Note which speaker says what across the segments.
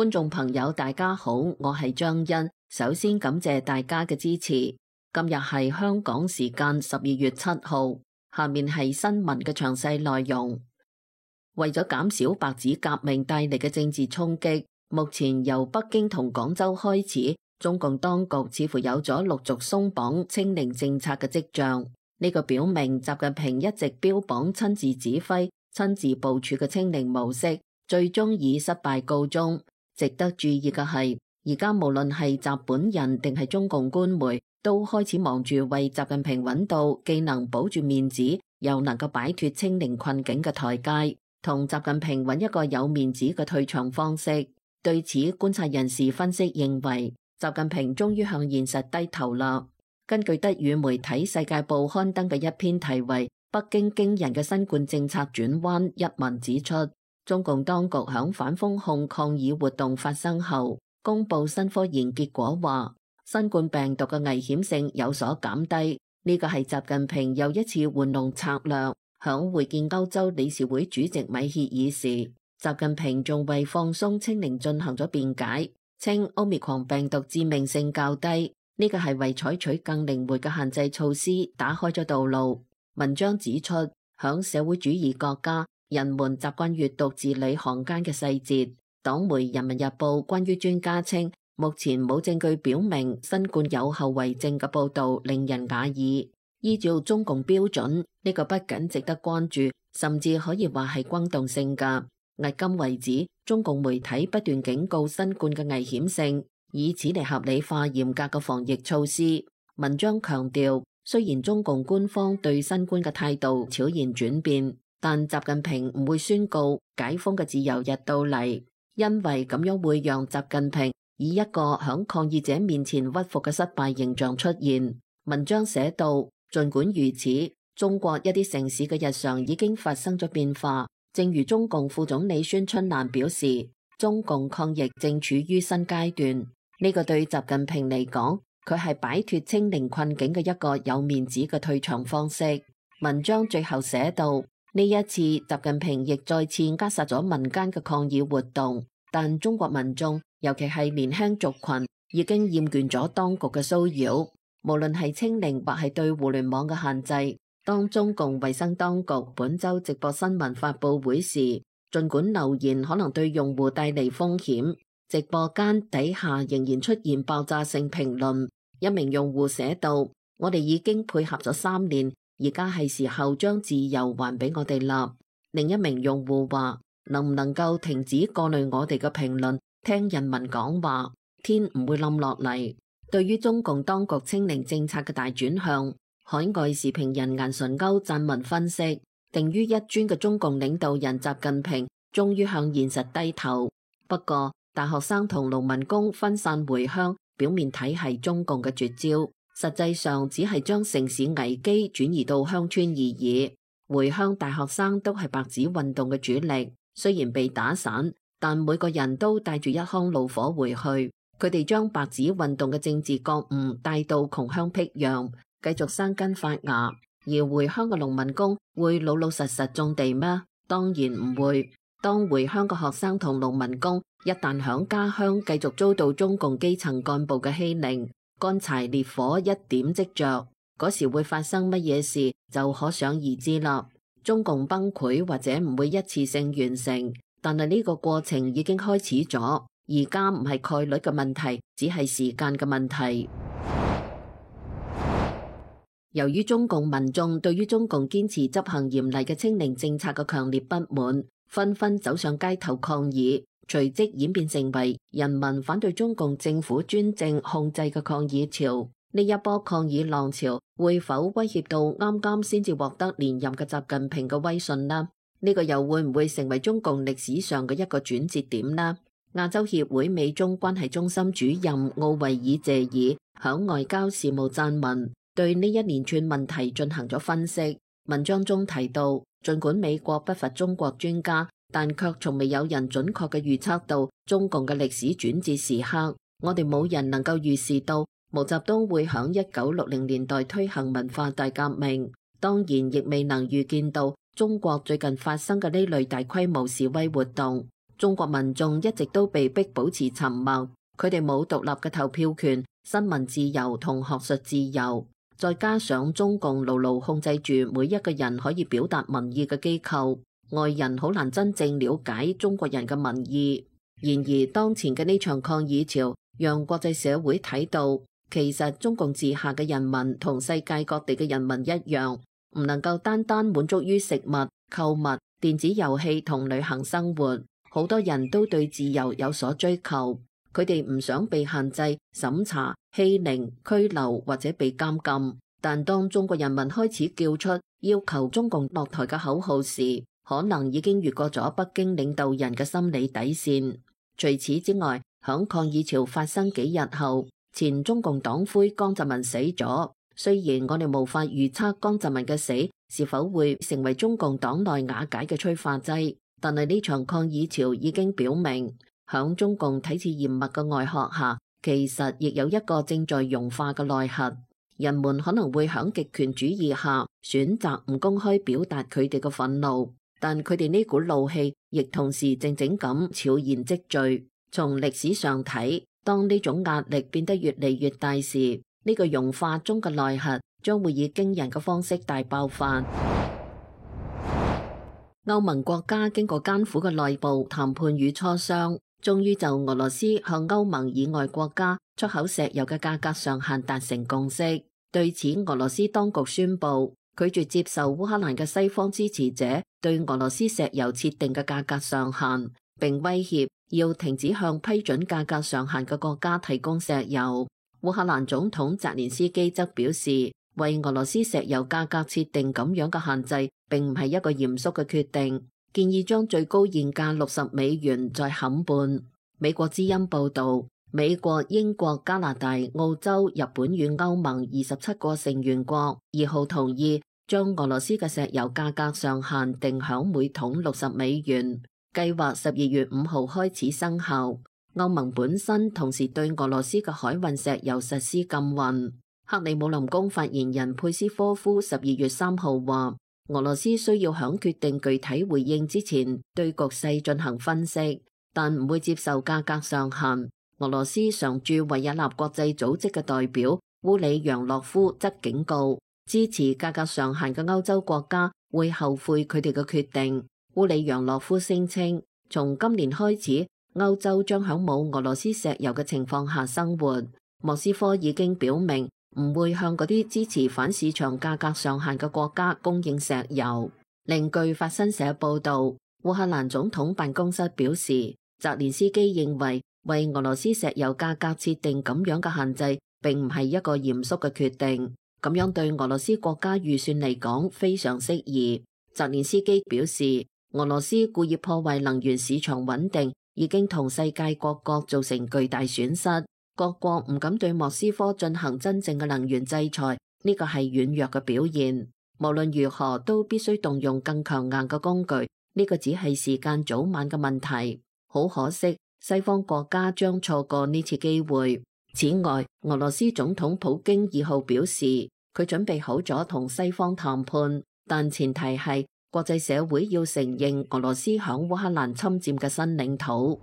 Speaker 1: 觀眾朋友大家好，我係張欣，首先感謝大家嘅支持。今日係香港時間12月7號，下面係新聞嘅詳細內容。為咗減少白紙革命帶嚟嘅政治衝擊，目前由北京同廣州開始，中共當局似乎有咗陸續鬆綁清零政策嘅跡象。呢個表明習近平一直標榜親自指揮、親自部署嘅清零模式，最終以失敗告終。值得注意嘅係，而家無論係習本人定係中共官媒，都開始忙住為習近平揾到既能保住面子，又能夠擺脫清零困境嘅台階，同習近平揾一個有面子嘅退場方式。對此，觀察人士分析認為，習近平終於向現實低頭啦。根據德語媒體《世界報》刊登嘅一篇題為《北京驚人嘅新冠政策轉彎》一文指出，中共當局響反封控抗議活動發生後，公布新科研結果話，新冠病毒嘅危險性有所減低。呢個係習近平又一次玩弄策略。響會見歐洲理事會主席米歇爾時，習近平仲為放鬆清零進行咗辯解，稱奧密克戎病毒致命性較低。呢個係為採取更靈活嘅限制措施打開咗道路。文章指出，響社會主義國家，人們習慣閱讀字裏行間嘅細節。黨媒《人民日報》關於專家稱目前冇證據表明新冠有後遺症嘅報導令人訝異。依照中共標準，呢個不僅值得關注，甚至可以話係轟動性㗎。迄今為止，中共媒體不斷警告新冠嘅危險性，以此嚟合理化嚴格嘅防疫措施。文章強調，雖然中共官方對新冠嘅態度悄然轉變，但習近平唔會宣告解封嘅自由日到嚟，因為咁樣會讓習近平以一個響抗議者面前屈服嘅失敗形象出現。文章寫道，儘管如此，中國一啲城市嘅日常已經發生咗變化。正如中共副總理孫春蘭表示，中共抗疫正處於新階段。呢個對習近平嚟講，佢係擺脫清零困境嘅一個有面子嘅退場方式。文章最後寫道，呢一次習近平亦再次扼殺咗民間嘅抗議活動，但中國民眾，尤其係年輕族群，已經厭倦咗當局嘅騷擾。無論係清零或係對互聯網嘅限制，當中共衛生當局本週直播新聞發佈會時，儘管留言可能對用戶帶嚟風險，直播間底下仍然出現爆炸性評論。一名用戶寫道，我哋已經配合咗3年，而家係時候將自由還俾我哋啦。另一名用戶話，能唔能夠停止過濾我哋嘅評論，聽人民講話，天唔會冧落嚟。對於中共當局清零政策嘅大轉向，海外時評人顏純鈎撰文分析，定於一尊嘅中共領導人習近平終於向現實低頭。不過，大學生同農民工分散回鄉，表面睇係中共嘅絕招，實際上只係將城市危機轉移到鄉村而已。回鄉大學生都係白紙運動嘅主力，雖然被打散，但每個人都帶住一腔怒火回去。佢哋將白紙運動嘅政治覺悟帶到窮鄉僻壤，繼續生根發芽。而回鄉嘅農民工會老老實實種地咩？當然唔會。當回鄉嘅學生同農民工一旦響家鄉繼續遭到中共基層幹部嘅欺凌，乾柴烈火一點即着，嗰時會發生乜嘢事就可想而知啦。中共崩潰或者唔會一次性完成，但係呢個過程已經開始咗，而家唔係概率嘅問題，只係時間嘅問題。由於中共民眾對於中共堅持執行嚴厲嘅清零政策嘅強烈不滿，紛紛走上街頭抗議，隨即演變成為人民反對中共政府專政控制嘅抗議潮。呢一波抗議浪潮會否威脅到啱啱先至獲得連任嘅習近平嘅威信呢？呢個又會唔會成為中共歷史上嘅一個轉折點呢？亞洲協會美中關係中心主任奧維爾謝爾響外交事務撰文，對呢一連串問題進行咗分析。文章中提到，儘管美國不乏中國專家，但卻從未有人準確嘅預測到中共嘅歷史轉折時刻。我哋冇人能夠預示到毛澤東會響1960年代推行文化大革命，當然亦未能預見到中國最近發生嘅呢類大規模示威活動。中國民眾一直都被迫保持沉默，佢哋冇獨立嘅投票權、新聞自由同學術自由，再加上中共牢牢控制住每一個人可以表達民意嘅機構，外人好難真正了解中國人嘅民意。然而，當前嘅呢場抗議潮，讓國際社會睇到，其實中共治下嘅人民同世界各地嘅人民一樣，唔能夠單單滿足於食物、購物、電子遊戲同旅行生活。好多人都對自由有所追求，佢哋唔想被限制、審查、欺凌、拘留或者被監禁。但當中國人民開始叫出要求中共落台嘅口號時，可能已經越過咗北京領導人嘅心理底線。除此之外，響抗議潮發生幾日後，前中共黨魁江澤民死咗。雖然我哋無法預測江澤民嘅死是否會成為中共黨內瓦解嘅催化劑，但係呢場抗議潮已經表明，響中共體制嚴密嘅外殼下，其實亦有一個正在融化嘅內核。人們可能會響極權主義下選擇唔公開表達佢哋嘅憤怒，但佢哋呢股怒氣亦同時靜靜咁悄然積聚。從歷史上睇，當呢種壓力變得越嚟越大時，呢個融化中嘅內核將會以驚人嘅方式大爆發。歐盟國家經過艱苦嘅內部談判與磋商，終於就俄羅斯向歐盟以外國家出口石油嘅價格上限達成共識。對此，俄羅斯當局宣布拒絕接受烏克蘭嘅西方支持者對俄羅斯石油設定嘅價格上限，並威脅要停止向批准價格上限嘅國家提供石油。烏克蘭總統澤連斯基則表示，為俄羅斯石油價格設定咁樣嘅限制，並唔係一個嚴肅嘅決定，建議將最高現價$60再砍半。美國之音報道，美國、英國、加拿大、澳洲、日本與歐盟27個成員國2號同意將俄羅斯嘅石油價格上限定響每桶$60，計劃12月5號開始生效。歐盟本身同時對俄羅斯嘅海運石油實施禁運。克里姆林宮發言人佩斯科夫12月3號話，俄羅斯需要響決定具體回應之前對局勢進行分析，但唔會接受價格上限。俄羅斯常駐維也納國際組織嘅代表烏里揚諾夫則警告，支持價格上限嘅歐洲國家會後悔佢哋嘅決定。烏里揚諾夫聲稱，從今年開始，歐洲將響冇俄羅斯石油嘅情況下生活。莫斯科已經表明唔會向嗰啲支持反市場價格上限嘅國家供應石油。另據法新社報道，烏克蘭總統辦公室表示，澤連斯基認為俄羅斯石油價格設定咁樣嘅限制，並唔係一個嚴肅嘅決定，咁樣對俄羅斯國家預算嚟講非常適宜。澤連斯基表示，俄羅斯故意破壞能源市場穩定，已經同世界各國造成巨大損失。各國唔敢對莫斯科進行真正嘅能源制裁，呢個係軟弱嘅表現。無論如何，都必須動用更強硬嘅工具，呢個只係時間早晚嘅問題。好可惜，西方國家將錯過呢次機會。此外，俄羅斯總統普京2號表示，佢準備好咗同西方談判，但前提係國際社會要承認俄羅斯響烏克蘭侵佔嘅新領土。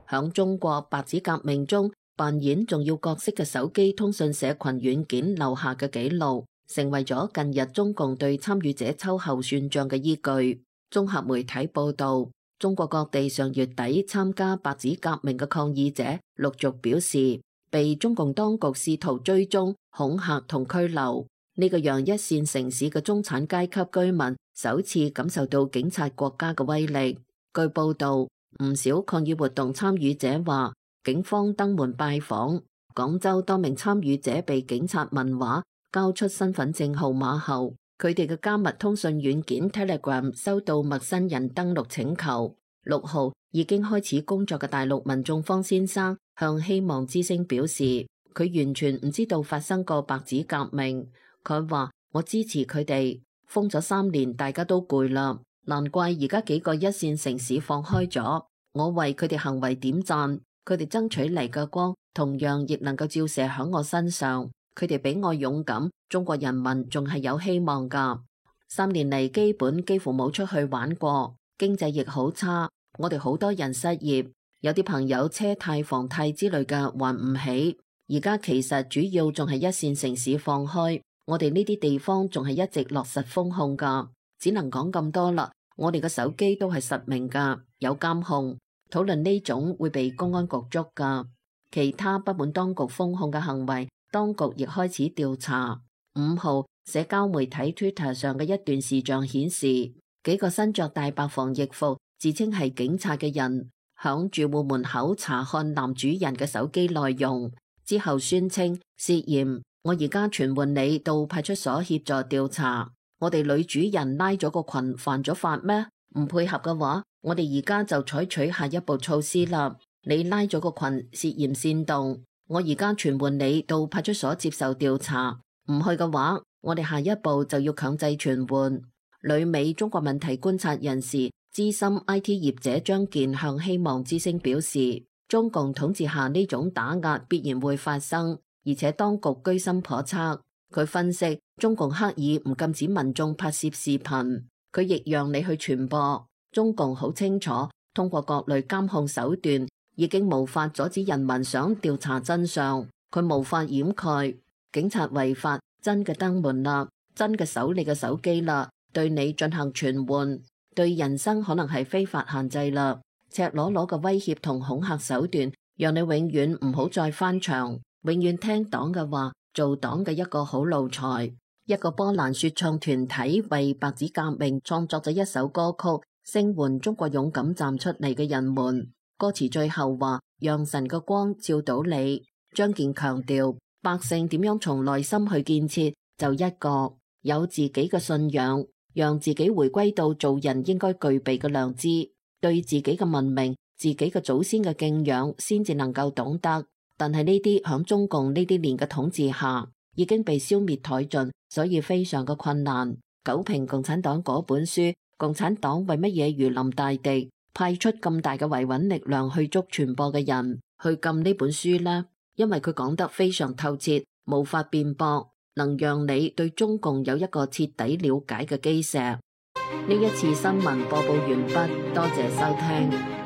Speaker 1: 響中國白紙革命中扮演重要角色嘅手機通訊社群軟件留下嘅紀錄，成為咗近日中共對參與者秋後算賬嘅依據。綜合媒體報道，中國各地上月底參加白紙革命嘅抗議者陸續表示，被中共當局試圖追蹤、恐嚇同拘留。呢個讓一線城市嘅中產階級居民首次感受到警察國家嘅威力。據報道，唔少抗議活動參與者話，警方登門拜訪。廣州多名參與者被警察問話，交出身份證號碼後，佢哋嘅加密通訊軟件 Telegram 收到陌生人登錄請求。6號已經開始工作嘅大陸民眾方先生向希望之聲表示，佢完全唔知道發生過白紙革命。佢話：我支持佢哋，封咗3年，大家都攰啦。難怪而家幾個一線城市放開咗，我為佢哋行為點讚，佢哋爭取嚟嘅光同樣亦能夠照射喺我身上，佢哋比我勇敢，中國人民仲係有希望㗎。3年嚟基本幾乎冇出去玩過，經濟亦好差，我哋好多人失業，有啲朋友車貸、房貸之類嘅還唔起。而家其實主要仲係一線城市放開，我哋呢啲地方仲係一直落實封控㗎，只能講咁多啦。我哋嘅手機都係實名㗎，有監控。討論呢種會被公安局捉㗎。其他不滿當局封控嘅行為，當局亦開始調查。5號，社交媒體 Twitter 上嘅一段視像顯示，幾個身着大白防疫服、自稱係警察嘅人，響住戶門口查看男主人嘅手機內容，之後宣稱涉嫌。我而家傳喚你到派出所協助調查。我哋女主人拉咗個群犯咗法咩？唔配合嘅話，我哋而家就採取下一步措施啦。你拉咗個群涉嫌煽動，我而家傳喚你到派出所接受調查。唔去嘅話，我哋下一步就要強制傳喚。旅美中國問題觀察人士、資深 IT 業者張健向希望之聲表示，中共統治下呢種打壓必然會發生，而且當局居心叵測。佢分析，中共刻意唔禁止民眾拍攝視頻，佢亦讓你去傳播。中共好清楚，通過各類監控手段，已經無法阻止人民想調查真相，佢無法掩蓋。警察違法，真嘅登門啦，真嘅搜你嘅手機啦，對你進行傳喚，對人生可能係非法限制啦。赤裸裸嘅威脅同恐嚇手段，讓你永遠唔好再翻牆，永遠聽黨嘅話，做黨嘅一個好奴才。一個波蘭說唱團體為白紙革命創作咗一首歌曲，聲援中國勇敢站出嚟嘅人們。歌詞最後話：讓神嘅光照到你。張健強調，百姓點樣從內心去建設，就一個有自己嘅信仰，讓自己回歸到做人應該具備嘅良知，對自己嘅文明、自己嘅祖先嘅敬仰，先至能夠懂得。但係呢啲響中共呢啲年嘅統治下，已經被消滅殆盡，所以非常嘅困難。九評共產黨嗰本書，共產黨為乜嘢如臨大敵，派出咁大嘅維穩力量去捉傳播嘅人，去禁呢本書呢？因為佢講得非常透徹，無法辯駁，能讓你對中共有一個徹底了解嘅基石。呢一次新聞播報完畢，多謝收聽。